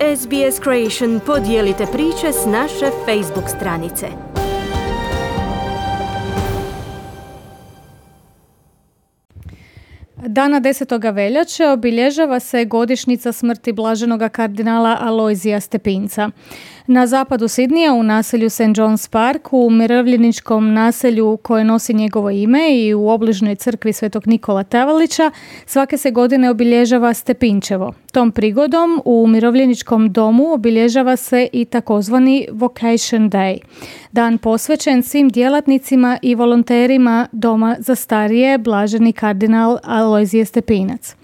SBS Creation podijelite priče s naše Facebook stranice. Dana 10. veljače obilježava se godišnjica smrti blaženoga kardinala Alojzija Stepinca. Na zapadu Sidnija u naselju St. John's Park, u umirovljeničkom naselju koje nosi njegovo ime i u obližnjoj crkvi Svetog Nikola Tavalića, svake se godine obilježava Stepinčevo. Tom prigodom u umirovljeničkom domu obilježava se i takozvani Vocation Day, dan posvećen svim djelatnicima i volonterima Doma za starije blaženi kardinal Alojzije Stepinac.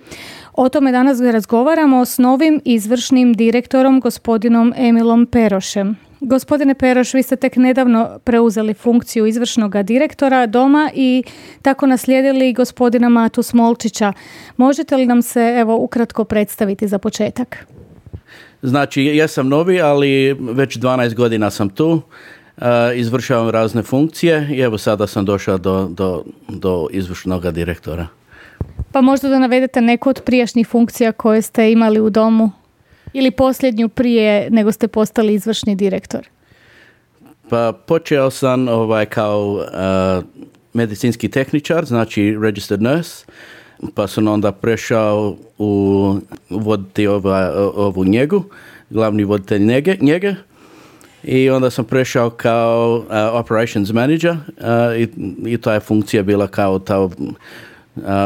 O tome danas razgovaramo s novim izvršnim direktorom, gospodinom Emilom Perošem. Gospodine Peroš, vi ste tek nedavno preuzeli funkciju izvršnog direktora doma i tako naslijedili gospodina Matu Smolčića. Možete li nam se ukratko predstaviti za početak? Znači, ja sam novi, ali već 12 godina sam tu. Izvršavam razne funkcije i evo sada sam došao do izvršnog direktora. Pa možda da navedete neku od prijašnjih funkcija koje ste imali u domu ili posljednju prije nego ste postali izvršni direktor? Pa počeo sam kao medicinski tehničar, znači registered nurse, pa sam onda prešao u voditi ovu njegu, glavni voditelj njege. I onda sam prešao kao operations manager i ta je funkcija bila kao ta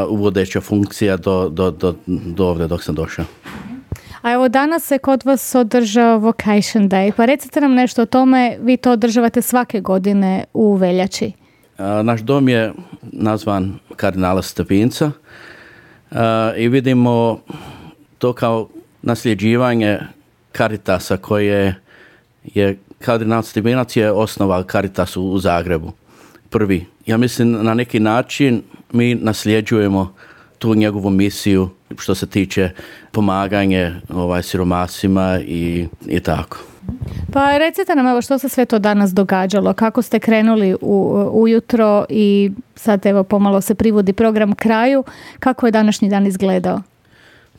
uvodeća funkcija do ovdje dok sam došao. A evo danas se kod vas održao Vocation Day, pa recite nam nešto o tome, vi to održavate svake godine u veljači. Naš dom je nazvan kardinala Stepinca i vidimo to kao nasljeđivanje Caritasa koje je kardinal Stepinac je osnovao Caritas u Zagrebu. Prvi. Ja mislim na neki način mi nasljeđujemo tu njegovu misiju što se tiče pomaganje siromasima i tako. Pa recite nam što se sve to danas događalo, kako ste krenuli ujutro i sad pomalo se privodi program kraju, kako je današnji dan izgledao?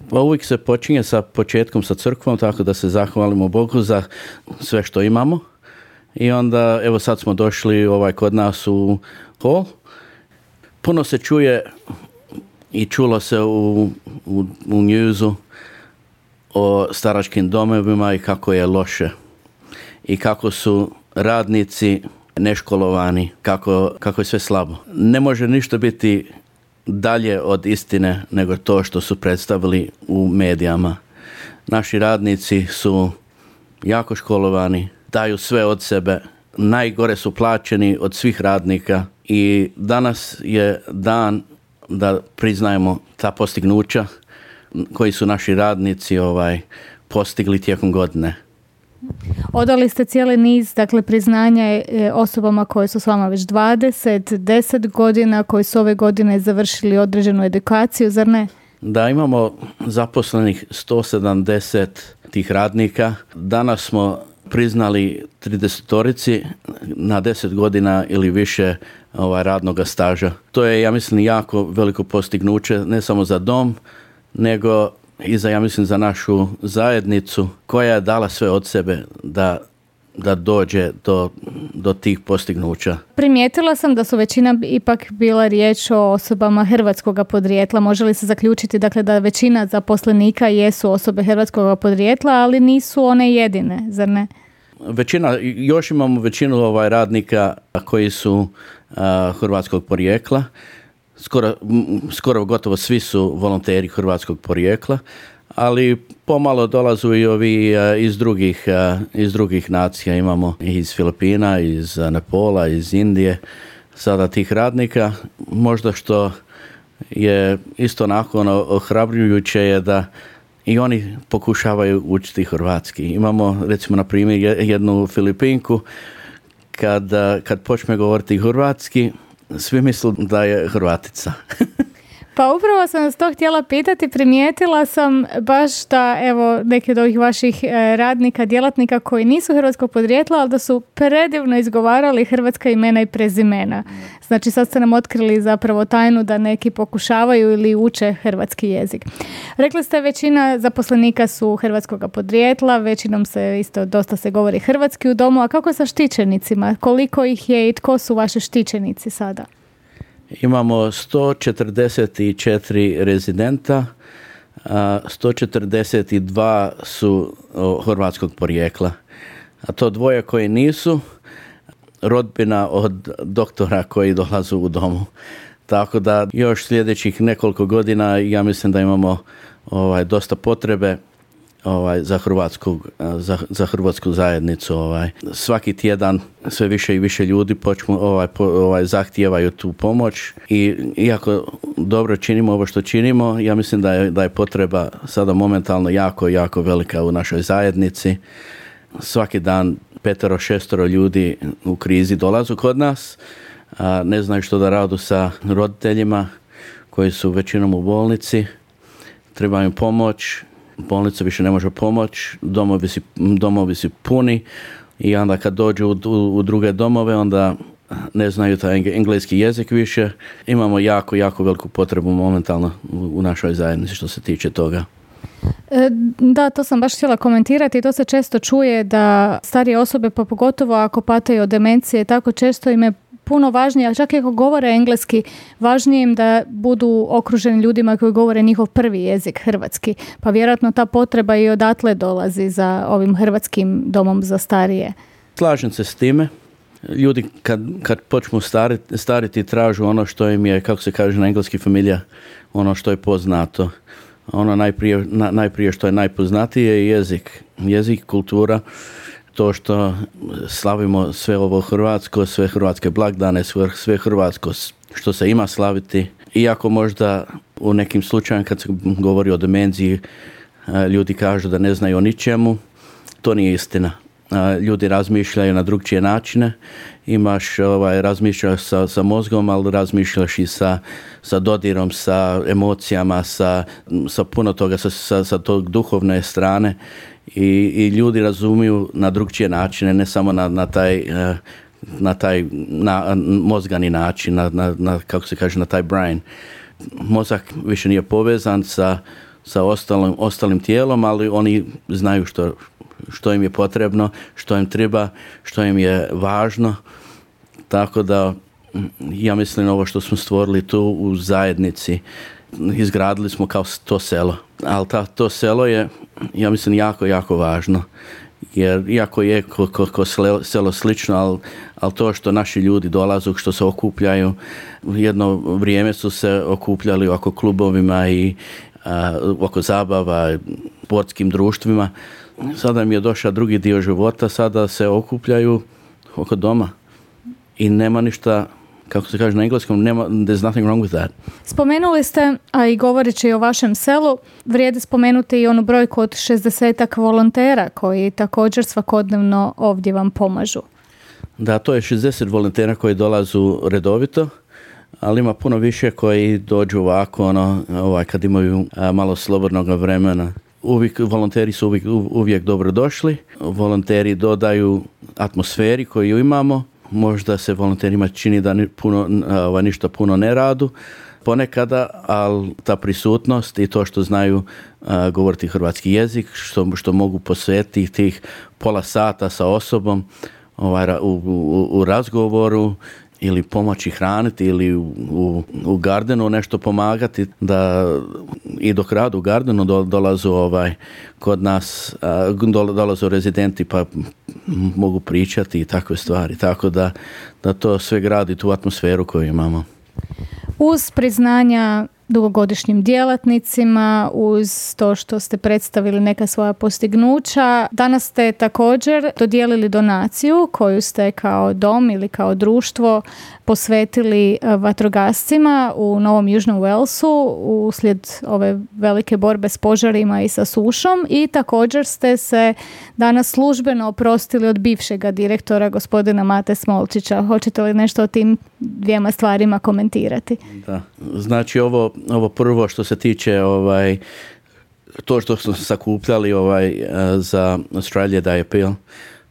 Pa uvijek se počinje sa početkom sa crkvom, tako da se zahvalimo Bogu za sve što imamo. I onda, evo sad smo došli kod nas u hol. Puno se čuje i čulo se u newsu o staračkim domovima i kako je loše. I kako su radnici neškolovani, kako je sve slabo. Ne može ništa biti dalje od istine nego to što su predstavili u medijama. Naši radnici su jako školovani, daju sve od sebe, najgore su plaćeni od svih radnika i danas je dan da priznajemo ta postignuća koji su naši radnici postigli tijekom godine. Odali ste cijeli niz, priznanja osobama koje su s vama već 10 godina, koji su ove godine završili određenu edukaciju, zar ne? Da, imamo zaposlenih 170 tih radnika. Danas smo priznali 30-torici na 10 godina ili više radnog staža. To je, ja mislim, jako veliko postignuće, ne samo za dom, nego i za našu zajednicu koja je dala sve od sebe da dođe do tih postignuća. Primijetila sam da su većina ipak bila riječ o osobama hrvatskog podrijetla. Može li se zaključiti da većina zaposlenika jesu osobe hrvatskog podrijetla, ali nisu one jedine, zar ne? Još imamo većinu radnika koji su hrvatskog porijekla. Skoro gotovo svi su volonteri hrvatskog porijekla, ali pomalo dolazu i ovi iz drugih nacija. Imamo iz Filipina, iz Nepola, iz Indije, sada tih radnika. Možda što je isto nakon ohrabrujuće je da i oni pokušavaju učiti hrvatski. Imamo, recimo, na primjer, jednu Filipinku, kad počne govoriti hrvatski, svi misle da je Hrvatica. Pa upravo sam vas to htjela pitati, primijetila sam baš da evo neki od ovih vaših radnika, djelatnika koji nisu hrvatskog podrijetla, ali da su predivno izgovarali hrvatska imena i prezimena. Znači sad ste nam otkrili zapravo tajnu da neki pokušavaju ili uče hrvatski jezik. Rekli ste većina zaposlenika su hrvatskog podrijetla, većinom se isto dosta se govori hrvatski u domu, a kako sa štićenicima? Koliko ih je i tko su vaši štićenici sada? Imamo 144 rezidenta, 142 su hrvatskog porijekla. A to dvoje koji nisu, rodbina od doktora koji dolazu u domu. Tako da još sljedećih nekoliko godina ja mislim da imamo dosta potrebe za hrvatsku zajednicu. Svaki tjedan sve više i više ljudi zahtijevaju tu pomoć i iako dobro činimo ovo što činimo, ja mislim da je potreba sada momentalno jako, jako velika u našoj zajednici. Svaki dan 5-6 ljudi u krizi dolazu kod nas, ne znaju što da radu sa roditeljima koji su većinom u bolnici, treba im pomoć. Bolnica više ne može pomoći, domovi su puni i onda kad dođu u druge domove onda ne znaju taj engleski jezik više. Imamo jako, jako veliku potrebu momentalno u našoj zajednici što se tiče toga. Da, to sam baš htjela komentirati. To se često čuje da starije osobe, pa pogotovo ako pataju od demencije, tako često im je puno važnije, a čak i ako govore engleski, važnije im da budu okruženi ljudima koji govore njihov prvi jezik, hrvatski. Pa vjerojatno ta potreba i odatle dolazi za ovim hrvatskim domom za starije. Slažem se s time. Ljudi kad počnu stariti tražu ono što im je, kako se kaže na engleski, familija, ono što je poznato. Ono najprije što je najpoznatije je jezik, kultura, to što slavimo sve ovo hrvatsko, sve hrvatske blagdane, sve hrvatsko što se ima slaviti. Iako možda u nekim slučajima kad se govori o demenciji, ljudi kažu da ne znaju o ničemu, to nije istina. Ljudi razmišljaju na drugčije načine. Razmišljaš sa mozgom, ali razmišljaš i sa dodirom, sa emocijama, sa puno toga, sa tog duhovne strane. I ljudi razumiju na drugčije načine, ne samo na taj mozgani način, kako se kaže, na taj brain. Mozak više nije povezan sa ostalim tijelom, ali oni znaju što im je potrebno, što im treba, što im je važno. Tako da ja mislim ovo što smo stvorili tu u zajednici, izgradili smo kao to selo. Ali to selo je, ja mislim, jako, jako važno. Jer iako je ko selo slično, ali to što naši ljudi dolazu, što se okupljaju, jedno vrijeme su se okupljali oko klubovima i oko zabava, sportskim društvima. Sada mi je došao drugi dio života, sada se okupljaju oko doma. I nema ništa, kako se kaže na engleskom, there's nothing wrong with that. Spomenuli ste, a i govoreći o vašem selu, vrijedi spomenuti i onu brojku od 60 volontera koji također svakodnevno ovdje vam pomažu. Da, to je 60 volontera koji dolazu redovito, ali ima puno više koji dođu ovako, kad imaju malo slobodnog vremena. Volonteri su uvijek dobro došli. Volonteri dodaju atmosferi koju imamo. Možda se volonterima čini da ništa puno ne radu ponekada, ali ta prisutnost i to što znaju govoriti hrvatski jezik, što mogu posvetiti tih pola sata sa osobom u razgovoru ili pomoći hraniti ili u gardenu nešto pomagati, da i dok radu u gardenu dolazu kod nas, dolazu rezidenti pa mogu pričati i takve stvari. Tako da to sve gradi tu atmosferu koju imamo. Uz priznanja dugogodišnjim djelatnicima, uz to što ste predstavili neka svoja postignuća, danas ste također dodijelili donaciju koju ste kao dom ili kao društvo posvetili vatrogascima u Novom Južnom Walesu uslijed ove velike borbe s požarima i sa sušom, i također ste se danas službeno oprostili od bivšega direktora gospodina Mate Smolčića. Hoćete li nešto o tim dvijema stvarima komentirati. Da. Znači ovo prvo što se tiče to što smo sakupljali za Australia Day Appeal,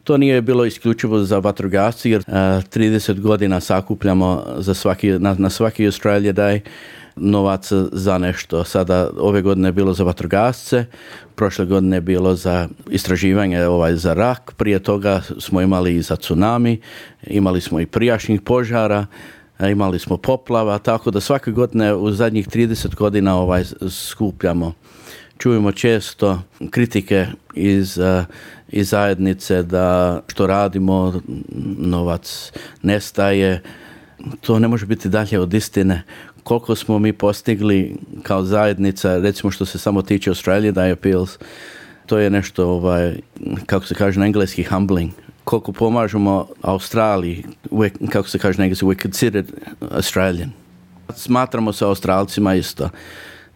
to nije bilo isključivo za vatrogasce, jer 30 godina sakupljamo na svaki Australia Day novac za nešto. Sada ove godine je bilo za vatrogasce, prošle godine je bilo za istraživanje za rak, prije toga smo imali i za tsunami, imali smo i prijašnjih požara, imali smo poplava, tako da svake godine u zadnjih 30 godina skupljamo. Čujemo često kritike iz zajednice da što radimo, novac nestaje. To ne može biti dalje od istine. Koliko smo mi postigli kao zajednica, recimo što se samo tiče Australia Day Appeals, to je nešto, kako se kaže na engleski, humbling. Koliko pomažemo Australiji, kako se kaže na engleski, we're considered Australian. Smatramo se Australcima isto.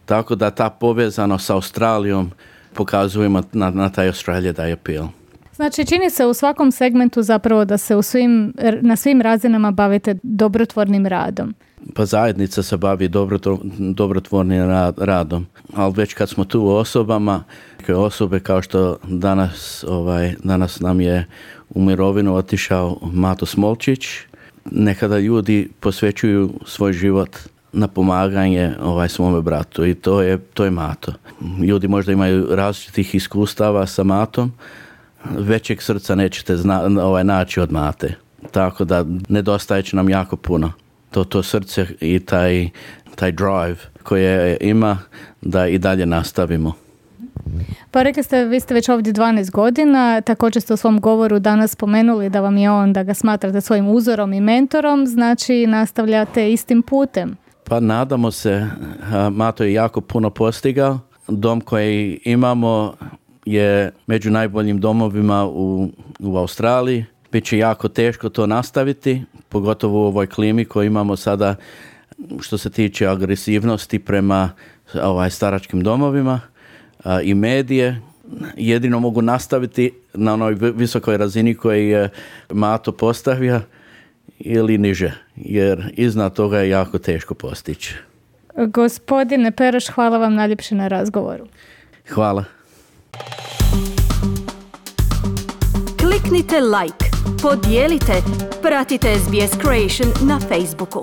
Tako da ta povezanost sa Australijom pokazujemo na taj Australia Day Appeal. Znači, čini se u svakom segmentu zapravo da se na svim razinama bavite dobrotvornim radom. Pa zajednica se bavi dobrotvornim radom. Ali već kad smo tu osobama, osobe kao što danas nam je u mirovinu otišao Mato Smolčić, nekada ljudi posvećuju svoj život na pomaganje svome bratu i to je Mato. Ljudi možda imaju različitih iskustava sa Matom, većeg srca nećete naći od Mate. Tako da nedostaje će nam jako puno. To srce i taj drive koje ima da i dalje nastavimo. Pa rekli ste, vi ste već ovdje 12 godina, također ste u svom govoru danas spomenuli da vam je on, da ga smatrate svojim uzorom i mentorom, znači nastavljate istim putem. Pa nadamo se, Mato je jako puno postigao. Dom koji imamo je među najboljim domovima u Australiji. Biće jako teško to nastaviti, pogotovo u ovoj klimi koju imamo sada što se tiče agresivnosti prema staračkim domovima i medije. Jedino mogu nastaviti na onoj visokoj razini koju je Mato postavio ili niže, jer iznad toga je jako teško postići. Gospodine Peraš, hvala vam najljepše na razgovoru. Hvala. Kliknite like, podijelite, pratite SBS Creation na Facebooku.